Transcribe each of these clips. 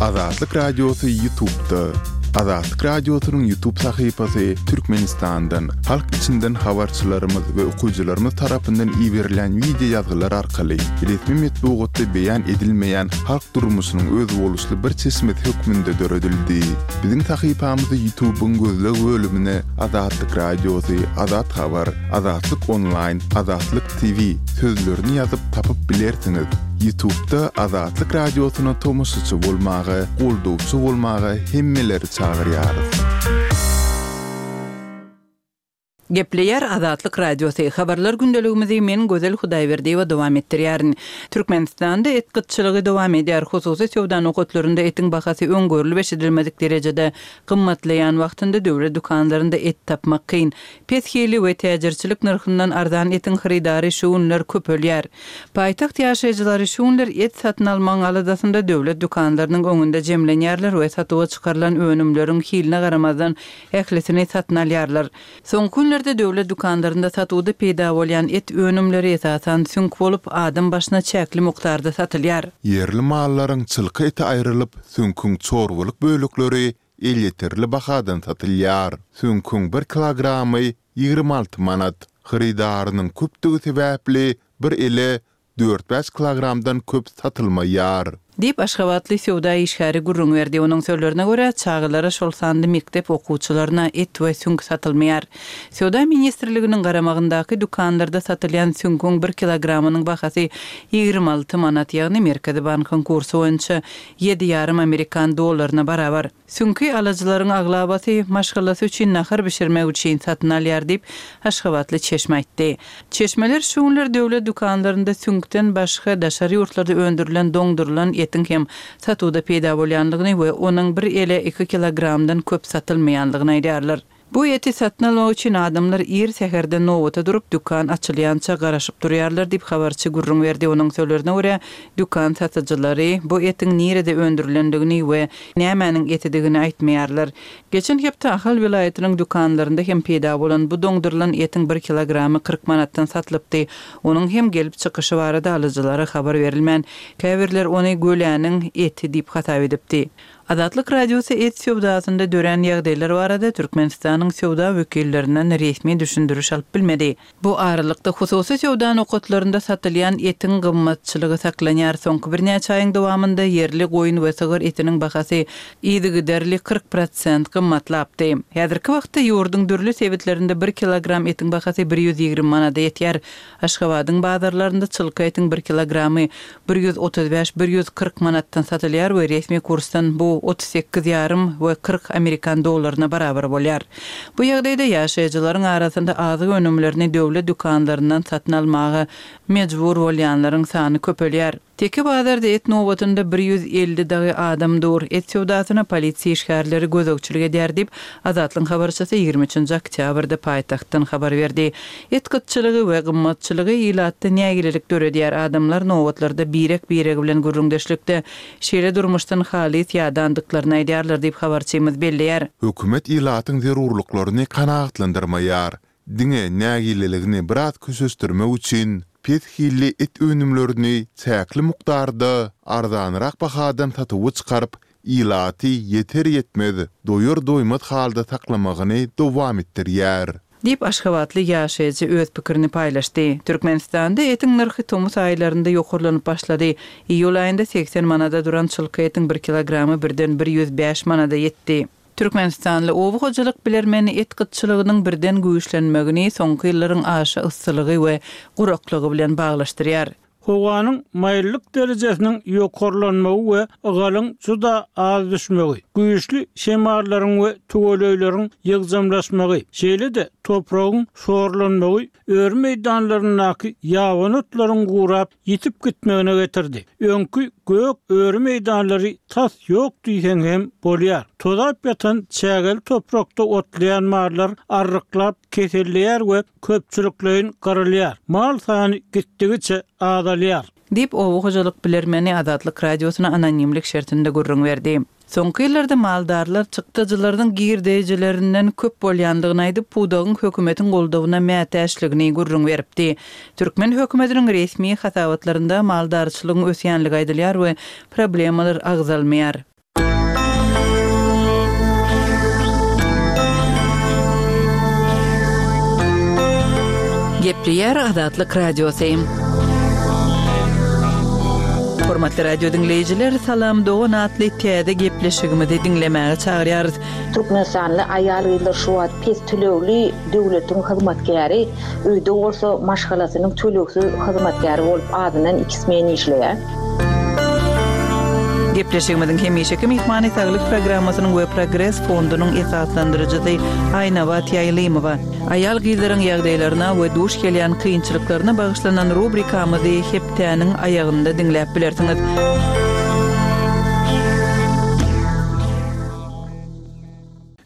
Azatlyk Radiosy Ýutubda. Azatlyk Radiosynyň Ýutub sahypasy Türkmenistandan, halk içinden habarçylarymyz we okyjylarymyz tarapyndan iberilýän wideo ýazgylar arkaly resmi metbugatda beýan edilmeýän halk durmuşynyň özboluşly bir çeşmesi hökmünde döredildi. Biziň sahypamyzy Ýutubyň gözleg bölümine Azatlyk Radiosy, Azat Habar, Azatlyk Onlaýn, Azatlyk TV sözlerini ýazyp tapyp bilersiňiz. Ýutubda Azatlyk Radiosyna tomaşaçy bolmaga, goldawçy bolmaga hemmeleri çagyrýarys. Gepleýär Azatlyk Radiosy, Habarlar gündeligimizi men Gözel Hudaýberdiýewa dowam etdirýärin. Türkmenistanda et gytçylygy dowam edýär. Hususy söwda nokatlarynda etiň bahasy öň görlüp-eşidilmedik derejede gymmatlaýan wagtynda döwlet dükanlarynda et tapmak kyn. Pes hili we täjirçilik nyrhyndan arzan etiň hyrydary şu günler köpelýär. Paýtagt ýaşaýjylary şu günler et satyn almagyň aladasynda döwlet dükanlarynyň öňünde jemlenýärler we satuwa çykarylan önümleriň hiline garamazdan ählisini satyn alýarlar. Soňky günlerde döwlet dükanlarynda satuwda peýda bolýan et önümleri esasan süňk bolup, adam başyna çäkli mukdarda satylýar. Ýerli mallaryň çylka eti aýrylyp, süňküň çorbalyk bölekleri elýeterli bahadan satylýar. Süňküň bir kilogramy 26 manat. Hyrydarynyň köpdügi sebäpli bir ele dört-bäş kilogramdan köp satylmaýar. Diýip, aşgabatly söwda işgäri gürrüň berdi. Onuň sözlerine görä, çagalara, şol sanda mekdep okuwçylaryna et we süňk satylmaýar. Söwda ministrliginiň garamagyndaky dükanlarda satylýan süňküň bir kilogramynyň bahasy 26 manat, ýagny Merkezi bankyň kursy boýunça ýedi ýarym amerikan dollaryna barabar. Süňki alyjylaryň aglabasy maşgalasy üçin nahar bişirmek üçin satyn alýar diýip, aşgabatly çeşme aýtdy. Çeşmeler şu günler döwlet dükanlarynda süňkden başga daşary ýurtlarda öndürilen doňdurylan etiň hem satuwda peýda bolýandygyny we onuň bir ele iki kilogramdan köp satylmaýandygyny aýdýarlar. Bu eti satyn almak üçin adamlar ir säherden nobata durup, dükan açylýança garaşyp durýarlar diýip, habarçy gürrüň berdi. Onuň sözlerine görä, dükan satyjylary bu etiň nirede öndürilendigini we nämäniň etidigini aýtmaýarlar. Geçen hepde Ahal welaýatynyň dükanlarynda hem peýda bolan bu doňdurylan etiň bir kilogramy 40 manatdan satylypdy. Onuň hem gelip çykyşy barada alyjylara habar berilmän, käbirler ony göläniň eti diýip hasap edipdi. Azatlyk Radiosy et söwdasynda dörän ýagdaýlar barada Türkmenistanyň söwda wekillerinden resmi düşündiriş alyp bilmedi. Bu aralykda, hususy söwda nokatlarynda satylýan etiň gymmatçylygy saklanýar. Soňky birnäçe aýyň dowamynda ýerli goýun we sygyr etiniň bahasy yzygiderli 40 prosent gymmatlapdy. Häzirki wagtda ýurduň dürli sebitlerinde bir kilogram etiň bahasy 120 manada ýetýär. Aşgabadyň bazarlarynda çylka etiň bir kilogramy 135, 140 manatdan satylýar we resmi kursdan bu 38 ýarym we 40 amerikan dollaryna barabar bolýar. Bu ýagdaýda ýaşaýjylaryň arasynda azyk önümlerini döwlet dükanlaryndan satyn almaga mejbur bolýanlaryň sany köpelýär. Teke bazarda et nobatynda 150 dagy adam dur. Et söwdasyna polisiýa işgärleri gözegçilik edýär diýip, Azatlygyň habarçysy 23-nji oktýabrda paýtagtdan habar berdi. Et gytçylygy we gymmatçylygy ilatda nägilelik döredýär, adamlar nobatlarda birek-biregi bilen gürrüňdeşlikde şeýle durmuşdan halys ýadandyklaryny aýdýarlar diýip, habarçymyz belleýär. Hökümet ilatyň zerurlyklaryny kanagatlandyrmaýar. Diňe nägileligini biraz köşeşdirmek üçin pes hilli et önümlerini çäkli mukdarda arzanrak bahadan satuwa çykaryp, ilaty ýeter-ýetmez, doýar-doýmaz halda saklamagyny dowam etdirýär. Diýip, aşgabatly ýaşaýjy öz pikirini paýlaşdy. Türkmenistanda etiň nyrhy tomus aýlarynda ýokarlanyp başlady. Iýul aýynda 80 manada duran çylka etiň bir kilogramy birden 105 manada ýetdi. Türkmenistanly oba hojalyk bilermeni et gytçylygynyň birden güýçlenmegini soňky ýyllaryň aşa yssylygy we guraklygy bilen baglaşdyrýar. Howanyň maýyllyk derejesiniň ýokarlanmagy we ygalyň juda az düşmegi, güýçli şemallaryň we tüweleýleriň ýygjamlaşmagy, şeýle-de topragyň şorlanmagy öri meýdanlaryndaky ýabany otlaryň gurap, ýitip gitmegine getirdi. Öňki gök öri meýdanlary tas ýok diýseň hem bolýar. Tozap ýatan çägeli toprakda otlaýan mallar arryklap keselleýär we köpçülikleýin gyrylýar. Mal sany gitdigiçe azalýar. Diýip, oba hojalyk bilermeni Azatlyk Radiosyna anonimlik şertinde gürrüň berdi. Soňky ýyllarda maldarlar çykdajylarynyň girdejilerinden köp bolýandygyny aýdyp, pudagyň hökümetiň goldawyna mätäçligini gürrüň beripdi. Türkmen hökümetiniň resmi hasabatlarynda maldarçylygyň ösýänligi aýdylýar we problemalar agzalmaýar. Gepleýär Azatlyk Radiosy. Hormatly radio diňleýjiler, Salam dogan atly täze gepleşigimizi diňlemäge çagyrýarys. Türkmenistanly aýal-gyzlar şu wagt pes tölegli döwletiň hyzmatkäri, öýde bolsa maşgalasynyň tölegsiz hyzmatkäri bolup azyndan iki smen işleýär. Gepleşigimiziň hemişeki myhmany Saglyk programmasynyň we Progres fondunyň esaslandyryjysy Aýnabat Ýaýlymowa. Aýal-gyzlaryň ýagdaýlaryna we duş gelýän kynçylyklaryna bagyşlanan rubrikamyzy hepdäniň aýagynda diňläp bilersiňiz.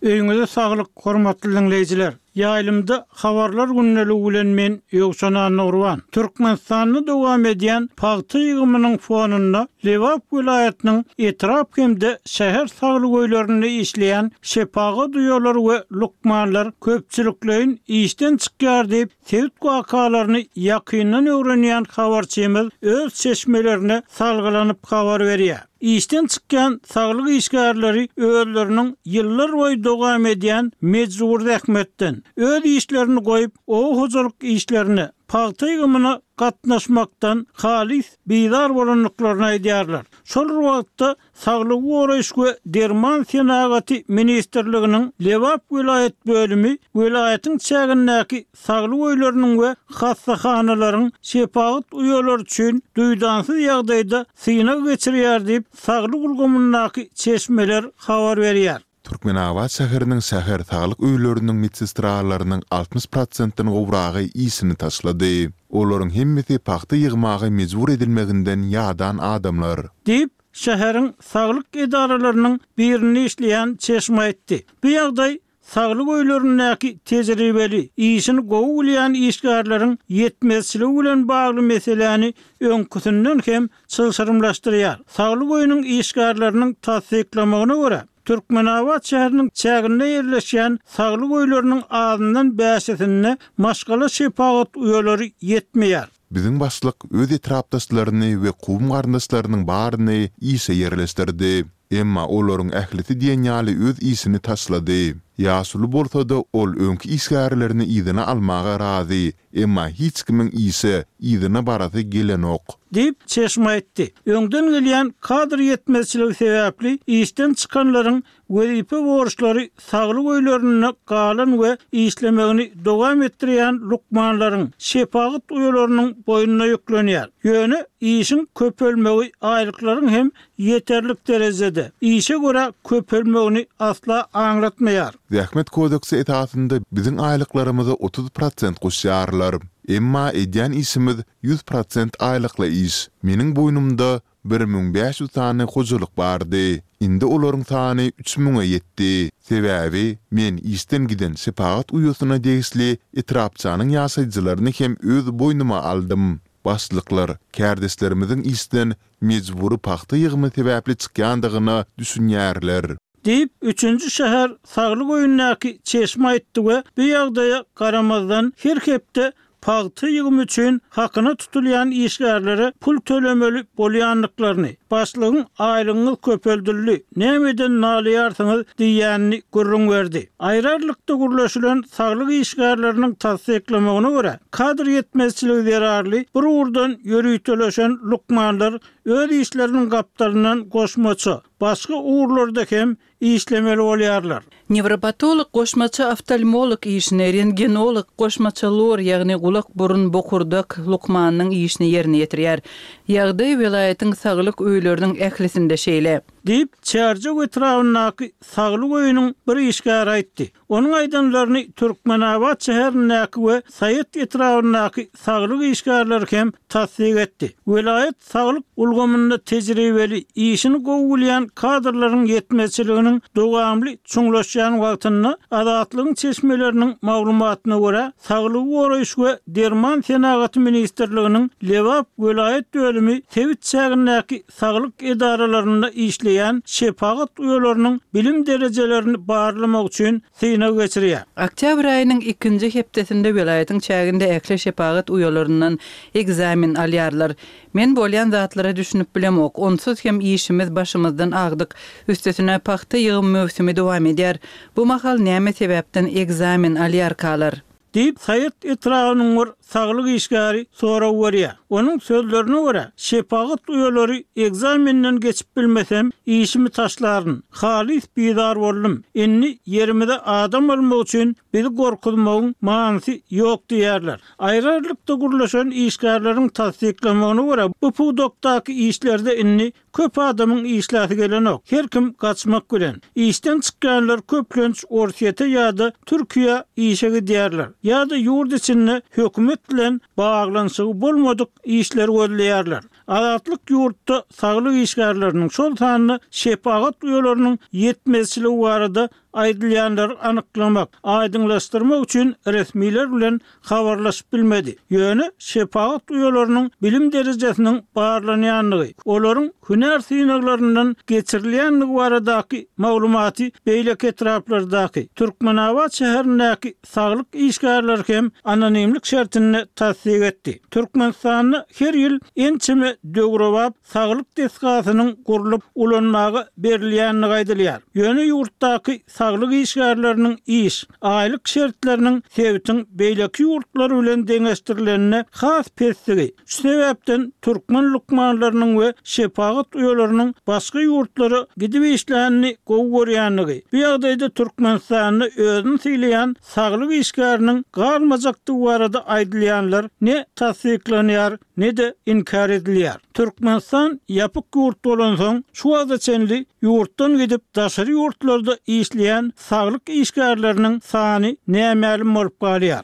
Öýüňize saglyk, hormatly diňleýjiler! Ýaýlymda Habarlar gündeligi bilen men, Ýowşan Annagurban. Türkmenistanda dowam edýän pagta ýygymynyň fonunda Lebap welaýatynyň etrap hem-de şäher saglyk öýlerinde işleýän şepagat uýalary we lukmanlar köpçülikleýin işden çykýar diýip, sebit wakalaryny ýakyndan öwrenýän habarçymyz öz çeşmelerine salgylanyp habar berýär. Işden çykýan saglyk işgärleri özleriniň ýyllarboýy dowam edýän mejbury zähmetden, öz işlerini goýup, oba hojalyk işlerine, pagta ýygymyna gatnaşmakdan halys bizar bolandyklaryny aýdýarlar. Şol bir wagtda, Saglygy goraýyş we derman senagaty ministrliginiň Lebap welaýat bölümi welaýatyň çägindäki saglyk öýleriniň we hassahanalaryň şepagat uýalary üçin duýdansyz ýagdaýda synag geçirýär diýip, saglyk ulgamyndaky çeşmeler habar berýär. Türkmenabat şäheriniň şäher saglyk öýleriniň medsestralarynyň 60 prosentden gowragy işini taşlady. Olaryň hemmesi pagta ýygmaga mejbur edilmeginden ýadan adamlar. Diýip, şäheriň saglyk edaralarynyň birinde işleýän çeşme aýtdy. Bu ýagdaý Saglyk öýlerindäki tejribeli, işini gowy bilýän işgärleriň ýetmezçiligi bilen bagly meseläni öňküsinden hem çylşyrymlaşdyrýar. Saglyk öýüniň işgärleriniň tassyklamagyna görä, Türkmenabat şäheriniň çäginde ýerleşýän saglyk öýleriniň azyndan bäşisinde maşgala şepagat uýalary ýetmeýär. Biziň başlyk öz etrapdaşlaryny we kowum-garyndaşlarynyň baryny işe ýerleşdirdi. Emma olaryň ählisi diýen ýaly öz işini taşlady. Ýaşuly bolsa-da ol öňki işgärlerini yzyna almaga razy, emma hiç kimiň işe yzyna barasy gelenok. Diýip, çeşme aýtdy. Öňden gelýän kadr ýetmezçiligi sebäpli işden çykanlaryň Wezipe borçlary saglyk öýlerinde galan we işlemegini dowam etdirýän lukmanlaryň, şepagat uýalarynyň boýnuna ýüklenýär. Ýöne işiň köpelmegi aýlyklaryň hem ýeterlik derejede, işe görä köpelmegini asla aňlatmaýar. Zähmet kodeksi esasynda biziň aýlyklarymyza 30 prosent goşýarlar. Emma edýän işimiz 100 prosent aýlykly iş. Meniň boýnumda 1500 sany hojalyk bardy. Indi olaryň sany üç müňe ýetdi. Sebäbi men işden giden şepagat uýasyna degişli etrapçanyň ýaşaýjylaryny hem öz boýnuma aldym. Başlyklar kärdeşlerimiziň işden mejbury pagta ýygymy sebäpli çykýandygyna düşünýärler. Diýip, üçünji şäher saglyk öýündäki çeşme aýtdy we bu ýagdaýa garamazdan, her hepde pagta ýygymy üçin hakyna tutulýan işgärlere pul tölemeli bolýandyklaryny, başlygyň aýlygyňyz köpeldildi, nämeden nalaýarsyňyz diýýänini gürrüň berdi. Aýry-aýrylykda gürleşilen saglyk işgärleriniň tassyklamagyna görä, kadr ýetmezçiligi zerarly bir ugurdan ýöriteleşen lukmanlar öz işleriniň gapdalyndan goşmaça, başga ugurlarda hem işlemeli bolýarlar. Newropatolog goşmaça oftalmolog işini, rentgenolog goşmaça lor, ýagny gulak-burun, bokurdak lukmanynyň işini ýerine ýetirýär. Ýagdaý welaýatyň saglyk öýleriniň ählisinde şeýle. Diýip, Çärjew etrabyndaky saglyk öýüniň bir işgäri aýtdy. Onuň aýdanlaryny Türkmenabat şäherindäki we Saýat etrabyndaky saglyk işgärleri hem tassyk etdi. Welaýat saglyk ulgamynda tejribeli, işini gowy bilýän kadrlaryň ýetmezçiliginiň dowamly çuňlaşýan wagtynda, Azatlygyň çeşmeleriniň maglumatyna görä, Saglygy goraýyş we derman senagaty ministrliginiň Lebap welaýat bölümi sebit çägindäki saglyk edaralarynda işleýän şepagat uýalarynyň bilim derejelerini barlamak üçin synag geçirýär. Oktýabr aýynyň ikinji hepdesinde welaýatyň çäginde ähli şepagat uýalaryndan ekzamen alýarlar. Men bolýan zatlara düşünip bilemok. Onsuz hem işimiz başymyzdan agdyk. Üstesine pagta ýygym möwsümi dowam edýär. Bu mahal näme sebäpden ekzamen alýarkalar? Diýip, Saýat etrabynyň bir saglyk işgäri sorag berýär. Onuň sözlerine görä, şepagat uýalary ekzamenden geçip bilmesem, işimi taşlaryn. Halys bizar boldum. Indi ýerimize adam almak üçin bizi gorkuzmagyň manysy ýok diýýärler. Aýry-aýrylykda gürleşen işgärleriň tassyklamagyna görä, bu pudakdaky işlerde indi Köp adamyň işläsi gelenok. Her kim gaçmak bilen. Işden çykýanlar köplenç Orsýete ýa-da Türkiýä işe gidýärler. Ýa-da ýurt içinde hökümet bilen baglanyşygy bolmadyk işleri gözleýärler. Azatlyk ýurtda saglyk işgärleriniň, şol sanda şepagat uýalarynyň ýetmezçiligi barada aýdylýanlary anyklamak, aýdyňlaşdyrmak üçin resmiler bilen habarlaşyp bilmedi. Ýöne şepagat uýalarynyň bilim derejesiniň barlanýandygy, olaryň hünär synaglaryndan geçirilýändigi baradaky maglumaty beýleki etraplardaky, Türkmenabat şäherindäki saglyk işgärleri hem anonimlik şertinde tassyk etdi. Türkmenistanda her ýyl ençeme döwrebap saglyk desgasynyň gurlup ulanmaga berilýändigi aýdylýar. Ýöne ýurtdaky saglyk işgärleriniň iş, aýlyk şertleriniň sebitiň beýleki ýurtlary bilen deňeşdirilende has pesdigi, şu sebäpden türkmen lukmanlarynyň we şepagat uýalarynyň başga ýurtlara gidip işlänini gowy görýändigi, bu ýagdaýda Türkmenistanda özüni sylaýan saglyk işgäriniň galmajakdygy barada aýdylýanlar ne tassyklanýar, ne-de inkär edilýär. Türkmenistan ýapyk ýurt bolansoň, şu wagta çenli ýurtdan gidip daşary ýurtlarda işleýän saglyk işgärleriniň sany nämälim bolup galýar.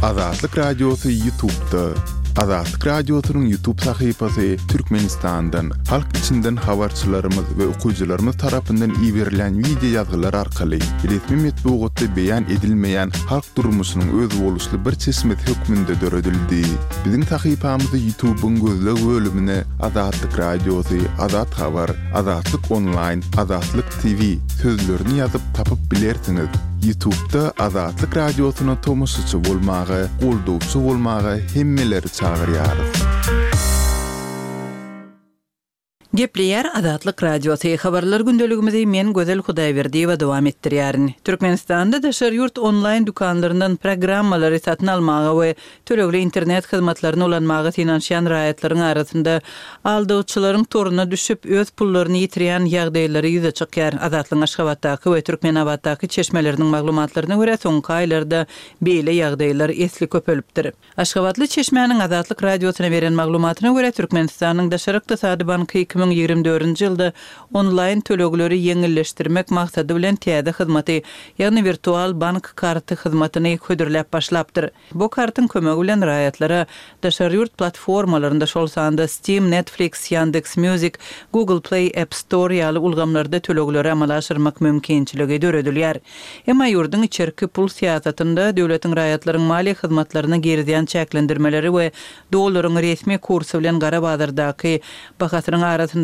Azatlyk Radiosy Ýutubda. Azatlyk Radiosynyň Ýutub sahypasy Türkmenistandan, halk içinden habarçylarymyz we okyjylarymyz tarapyndan iberilen wideo ýazgylar arkaly resmi metbugatda beýan edilmeýän halk durmuşynyň özboluşly bir çeşmesi hökmünde döredildi. Biziň sahypamyzy Ýutubyň gözleg bölümine Azatlyk Radiosy, Azat Habar, Azatlyk Onlaýn, Azatlyk TV sözlerini ýazyp tapyp bilersiňiz. Ýutubda Azatlyk Radiosyna tomaşaçy bolmaga, goldawçy bolmaga hemmeleri çagyrýarys. Gepleýär Azatlyk Radiosy, Habarlar gündeligimizi men Gözel Hudaýberdiýewa dowam etdirýärin. Türkmenistanda daşary ýurt onlaýn dükanlaryndan programmalary satyn almaga we tölegli internet hyzmatlaryny ulanmaga synanyşýan raýatlaryň arasynda aldawçylaryň toruna düşüp, öz pullaryny ýitirýän ýagdaýlary ýüze çykýar. Azatlygyň Aşgabatdaky we Türkmenabatdaky çeşmeleriniň maglumatlaryna görä, soňky aýlarda beýle ýagdaýlar esli köpelipdir. Aşgabatly çeşmäniň Azatlyk Radiosyna beren maglumatyna görä, Türkmenistanyň Daşary ykdysady banky 2024-nji ýylda onlaýn tölegleri ýeňilleşdirmek maksady bilen täze hyzmaty, ýagny wirtual bank karty hyzmatyny hödürläp başlapdyr. Bu kartyň kömegi bilen raýatlara daşary ýurt platformalarynda, şol sanda Steam, Netflix, Yandex Music, Google Play, App Store ýaly ulgamlarda tölegleri amala aşyrmak mümkinçiligi döredilýär. Emma ýurduň içerki pul syýasatynda döwletiň raýatlaryň maliýe hyzmatlaryna girizýän çäklendirmeleri we dollaryň resmi kursy bilen gara bazardaky bahasynyň arasyndaky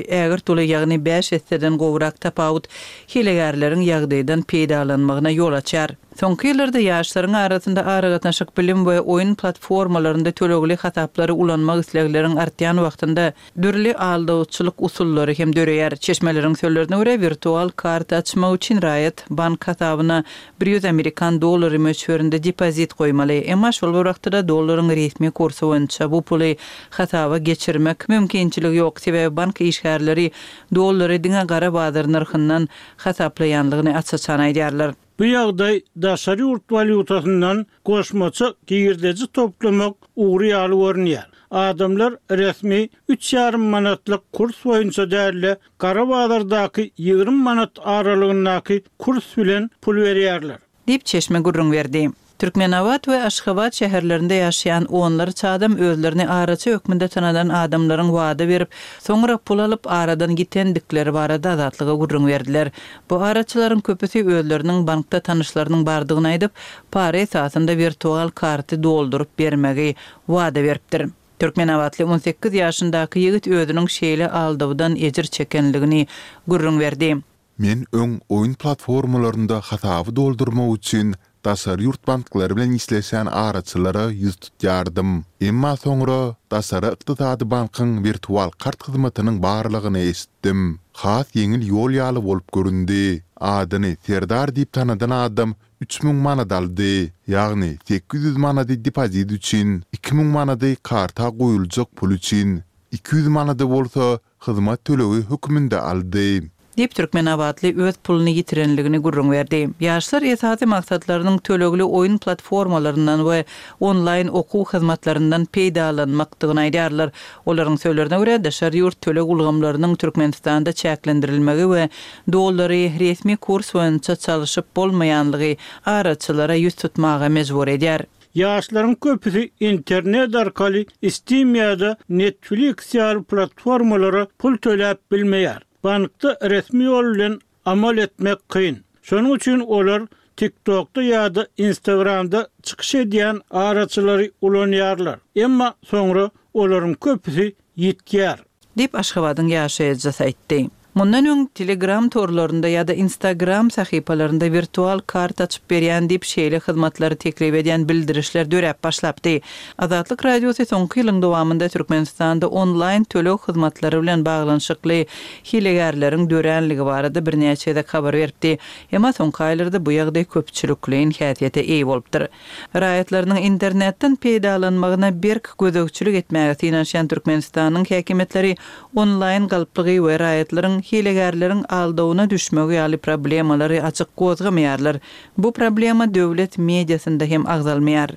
ägirt uly, ýagny bäş esseden gowrak tapawut hilegärleriň ýagdaýdan peýdalanmagyna ýol açýar. Soňky ýyllarda ýaşlaryň arasynda aragatnaşyk, bilim we oýun platformalarynda tölegli hasaplary ulanmak islegleriň artýan wagtynda, Dürli aldawçylyk usullary hem döreýär. Çeşmeleriň sözlerine görä, wirtual karta açmak üçin raýat bank hasabyna 100 amerikan dollary möçberinde depozit goýmaly. Emma şol bir wagtda-da dollaryň resmi kursy boýunça bu puly hasaba geçirmek mümkinçiligi ýok, sebäbi bank işgärleri dollary diňe gara bazar nyrhyndan hasaplaýanlygyny aç-açan aýdýarlar. Bu ýagdaý daşary ýurt walýutasyndan goşmaça girdeji toplamak ugry ýaly görünýär. Adamlar resmi üç ýarym manatlyk kurs boýunça däl-de, gara bazardaky 20 manat aralygyndaky kurs bilen pul berýärler. Diýip, çeşme gürrüň berdi. Türkmenabat we Aşgabat şäherlerinde ýaşaýan onlarça adam özlerini araçy hökmünde tanadan adamlaryň wada berip, soňra pul alyp, aradan gitendikleri barada Azatlyga gürrüň berdiler. Bu araçylaryň köpüsi özleriniň bankda tanyşlarynyň bardygyny aýdyp, para esasynda wirtual karty dolduryp bermegi wada beripdir. Türkmenabatly 18 ýaşyndaky ýigit özüniň şeýle aldawdan ejir çekenligini gürrüň berdi. Men öň oýun platformalarynda hasaby doldurmak üçin daşary ýurt banklary bilen işleşýän araçylara ýüz tutýardym. Emma soňra Daşary ykdysady bankyň wirtual kart hyzmatynyň barlygyny eşitdim. Has ýeňil ýol ýaly bolup göründi. Adyny Serdar diýip tanadan adam. 3000 manat aldy. Ýagny 800 manady depozit üçin, 2000 manady karta goýuljak pul üçin, 200 manady bolsa hyzmat tölegi hökmünde aldy. Diýip, türkmenabatly öz puluny ýitirenligini gürrüň berdi. Ýaşlar esasy maksatlarynyň tölegli oýun platformalaryndan we onlaýn okuw hyzmatlaryndan peýdalanmakdygyny aýdýarlar. Olaryň sözlerine görä, daşary ýurt töleg ulgamlarynyň Türkmenistanda çäklendirilmegi we dollary resmi kurs boýunça çalşyp bolmaýanlygy araçylara ýüz tutmaga mejbur edýär. Ýaşlaryň köpüsi internet arkaly Steam ýa-da Netflix ýaly platformalara pul töläp bilmeýär. Bankda resmi ýol bilen amal etmek kyn. Şonuň üçin olar TikTokda ýa-da Instagramda çykyş edýän araçylary ulanýarlar. Emma soňra olaryň köpüsi ýitýär. Diýip, Aşgabadyň ýaşaýjysy aýtdy. Mundan öň, Telegram torlarynda ýa-da Instagram sahypalarynda wirtual kart açyp berýän diýip, şeýle hyzmatlary teklip edýän bildirişler döräp başlapdy. Azatlyk Radiosy soňky ýylyň dowamynda Türkmenistanda onlaýn töleg hyzmatlary bilen baglanyşykly hilegärleriň döränligi barada birnäçe gezek habar beripdi. Emma soňky aýlarda bu ýagdaý köpçülikleýin häsiýete eýe bolupdyr. Raýatlarynyň internetden peýdalanmagyna berk gözegçilik etmäge synanyşýan Türkmenistanyň häkimiýetleri onlaýn galplygy we raýatlaryň hilegärleriň aldawyna düşmegi ýaly problemalary açyk gozgamaýarlar. Bu problema döwlet mediasynda hem agzalmaýar.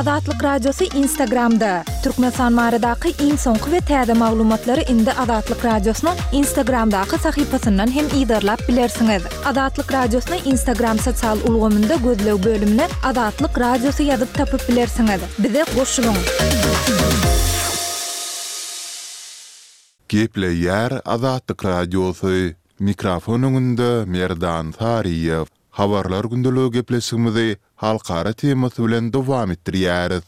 Azatlyk Radiosy Instagramda, Türkmenistan baradaky iň soňky we täze maglumatlary indi Azatlyk Radiosynyň Instagramdaky sahypasyndan hem yzarlap bilersiňiz. Azatlyk Radiosyny Instagram sosial ulgamynda gözleg bölümine Azatlyk Radiosy ýazyp tapyp bilersiňiz. Bize goşulyň! Gepleýär Azatlyk Radiosy, Mikrofon öňünde Merdan Saryýew. Habarlar gündeligi gepleşigimizi halkara temasy bilen dowam etdirýäris.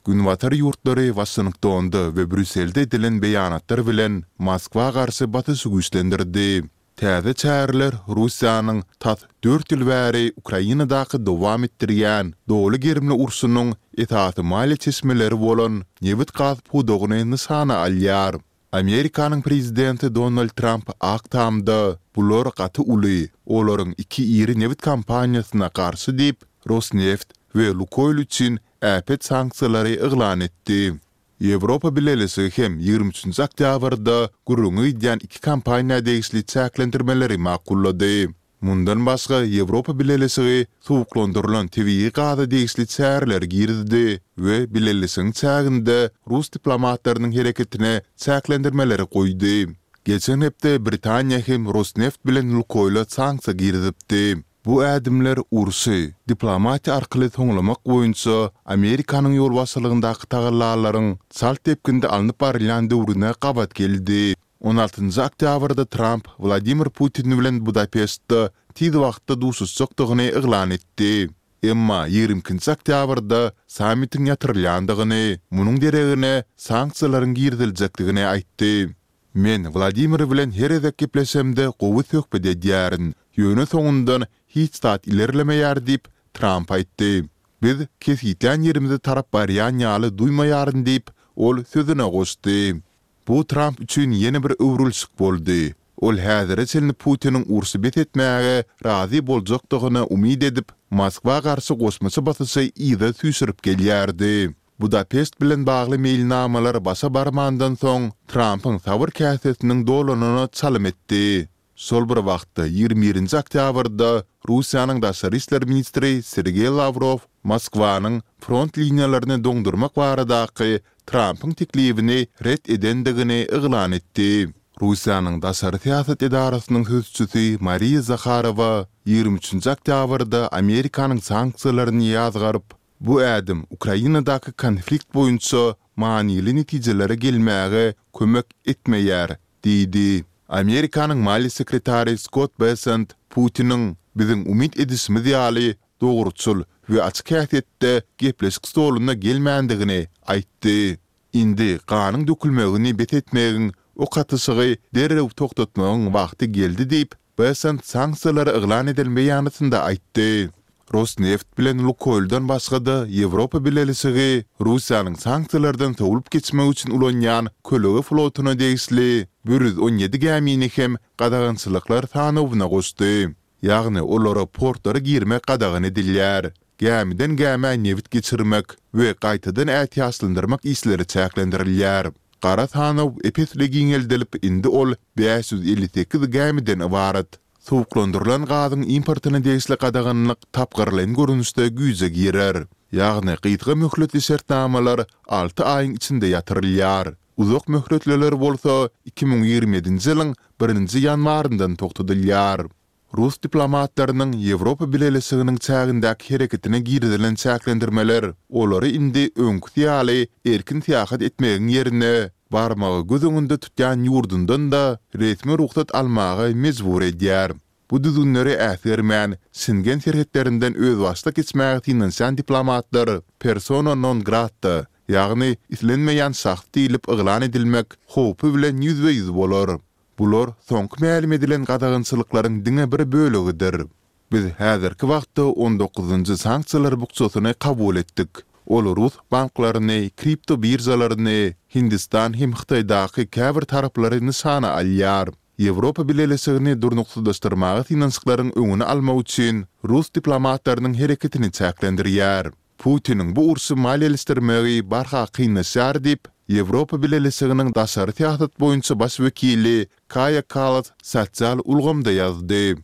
Günbatar ýurtlary Waşingtonda we Brýusselde edilen beýanatlar bilen Moskwa garşy basyşy güýçlendirdi. Täze çäreler Russiýanyň tas dört ýyl bäri Ukrainadaky dowam etdirýän doly gerimli urşunyň esasy maliýe çeşmeleri bolan nebit-gaz pudagyny nyşana alýar. Amerikanyň prezidenti Donald Tramp Ak Tamda, Bular gaty uly, olaryň iki iri nebit kompaniýasyna garşy diýip, Rosneft we Lukoýl üçin äpet sanksiýalary yglan etdi. Ýewropa Bileleşigi hem 23 nji oktýabrda gürrüňi gidýän iki kompaniýa degişli çäklendirmeleri makullady. Mundan başga, Ýewropa Bileleşigi suwuklandyrylan tebigy gaza degişli çäreleri girizdi we Bileleşigiň çäginde rus diplomatlarynyň hereketine çäklendirmeleri goýdy. Geçen hepde Britaniýa hem Rosneft bilen Lukoýla sanksiýa girizipdi. Bu ädimler urşy diplomatiýa arkaly soňlamak boýunça Amerikanyň ýolbaşçylygyndaky tagallalaryň çalt depginde alnyp barylýan döwrüne gabat geldi. On altynjy oktýabrda Tramp Wladimir Putin bilen Budapeştde tiz wagtda duşuşjakdygyny yglan etdi. Emma ýigrimi ikinji oktýabrda sammitiň ýatyrylýandygyny, munuň deregine sanksiýalaryň giriziljekdigini aýtdy. Men Wladimir bilen her gezek gepleşemde gowy söhbet edýärin, ýöne soňundan hiç zat ilerlemeýär diýip, Tramp aýtdy. Biz kesgitlän ýerimize tarap barýan ýaly duýmaýaryn diýip, ol sözüne goşdy. Bu Tramp üçin ýene bir öwrülişik boldy. Ol häzire çenli Putiniň urşy bes etmäge razy boljakdygyna umyt edip, Moskwa garşy goşmaça basyşy yza süýşürip gelýärdi. Budapeşt bilen bagly meýilnamalar başa barmandan soň, Trampyň sabyr käsesiniň dolanyna çalym etdi. Şol bir wagtda, 21 nji oktýabrda Russiýanyň daşary işler ministri Sergeý Lawrow Moskwanyň front liniýalaryny doňdurmak baradaky Trampyň teklibini ret edendigini yglan etdi. Russiýanyň daşary syýasat edarasynyň sözçüsi Mariýa Zaharowa 23 nji oktýabrda Amerikanyň sanksiýalaryny ýazgaryp, Bu ädim Ukrainadaky konflikt boýunça manyly netijelere gelmäge kömek etmeýär diýdi. Amerikanyň maliýe sekretary Skott Bessent Putiniň, biziň umyt edişimiz ýaly, dogruçyl we açyk häsiýetde gepleşik stoluna gelmändigini aýtdy. Indi ganyň dökülmegini bes etmegiň, ok atyşygy derrew togtatmagyň wagty geldi diýip, Bessent sanksiýalary yglan eden beýanatynda aýtdy. Rosneft bilen Lukoýldan başga-da Ýewropa Bileleşigi Russiýanyň sanksiýalardan sowlup geçmek üçin ulanýan kölege flotuna degişli 117 gämini hem gadagançylyklar sanawyna goşdy. Ýagny olara portlara girmek gadagan edilýär. Gämiden gämä nebit geçirmek we gaýtadan ätiýaçlandyrmak işleri çäklendirilýär. Gara sanaw ep-esli giňeldilip, indi ol 558 gämiden ybarat. Suwuklandyrylan gazyň importyna degişli gadaganlyk tapgyrlaýyn görnüşde güýje girer. Ýagny gysga möhletli şertnamalar alty aýyň içinde ýatyrylýar. Uzak möhletliler bolsa 2027-nji ýylyň birinji ýanwaryndan togtadylýar. Rus diplomatlarynyň Ýewropa Bileleşiginiň çägindäki hereketine girizilen çäklendirmeler olary indi öňküsi ýaly erkin syýahat etmegiň ýerine, barmagy göz öňünde tutýan ýurdundan-da resmi rugsat almaga mejbur edýär. Bu düzgünleri äsgermän, Şengen serhetlerinden özbaşdak geçmäge synanyşýan diplomatlar persona non grata, ýagny islenmeýän şahs diýlip yglan edilmek howpy bilen ýüzbe-ýüz bolar. Bular soňky mälim edilen gadagançylyklaryň diňe bir bölegidir. Biz häzirki wagtda on dokuzynjy sanksiýalar bukjasyny kabul etdik. Ol rus banklaryny, kripto biržalaryny, Hindistan hem Hytaýdaky käbir taraplary nyşana alýar. Ýewropa Bileleşigini durnuksyzlaşdyrmaga synanyşyklaryň öňüni almak üçin rus diplomatlarynyň hereketini çäklendirýär. Putiniň bu urşy maliýeleşdirmegi barha kynlaşýar diýip, Ýewropa Bileleşiginiň daşary syýasat boýunça baş wekili Kaýa Kallas sosial ulgamda ýazdy.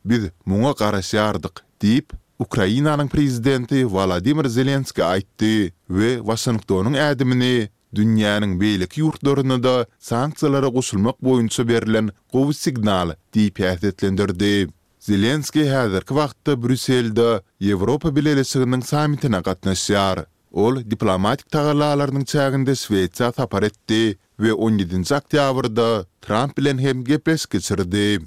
Biz muňa garaşýardyk diýip, Ukrainanyň prezidenti Wolodymyr Zelenskiý aýtdy we Waşingtonyň ädimini dünýäniň beýleki ýurtlaryna-da sanksiýalara goşulmak boýunça berlen gowy signal diýip häsiýetlendirdi. Zelenskiý häzirki wagtda Brýusselde Ýewropa Bileleşiginiň sammitine gatnaşýar. Ol diplomatik tagallalarynyň çäginde Şwesiýa sapar etdi we on ýedinji oktýabrda Tramp bilen hem gepleşik geçirdi.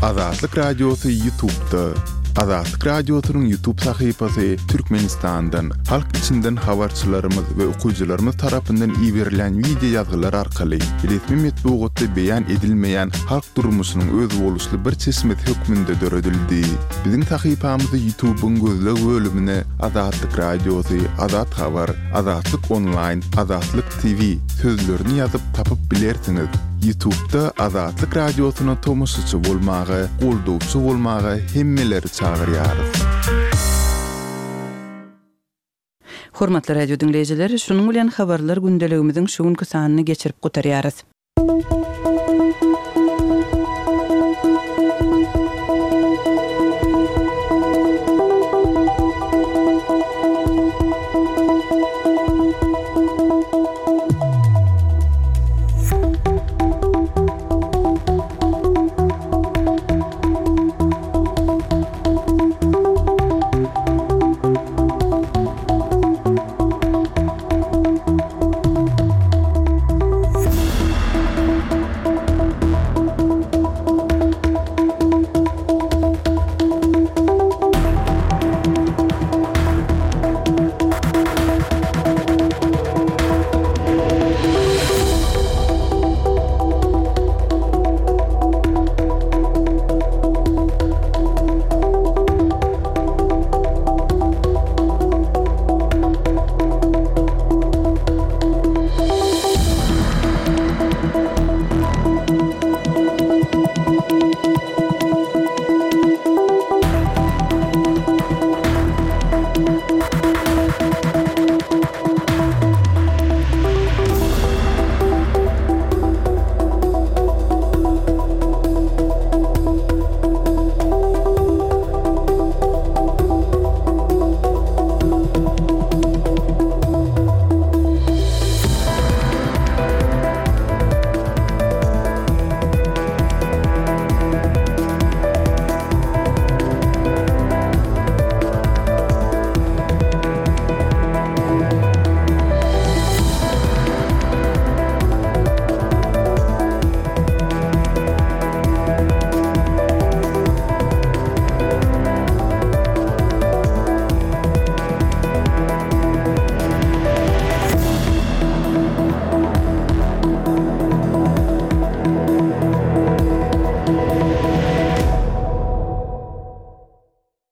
Azatlyk Radiosy Ýutubda. Azatlyk Radiosynyň Ýutub sahypasy Türkmenistandan, halk içinden habarçylarymyz we okyjylarymyz tarapyndan iberilýän wideo ýazgylar arkaly resmi metbugatda beýan edilmeýän halk durmuşynyň özboluşly bir çeşmesi hökmünde döredildi. Biziň sahypamyzy Ýutubyň gözleg bölümine Azatlyk Radiosy, Azat Habar, Azatlyk Onlaýn, Azatlyk TV sözlerini ýazyp tapyp bilersiňiz. Ýutubda Azatlyk Radiosyna tomaşaçy bolmaga, goldawçy bolmaga hemmeleri çagyrýarys. Hormatly radio diňleýjiler, şunuň bilen Habarlar gündeligimiziň şu günki sanyny geçirip gutarýarys.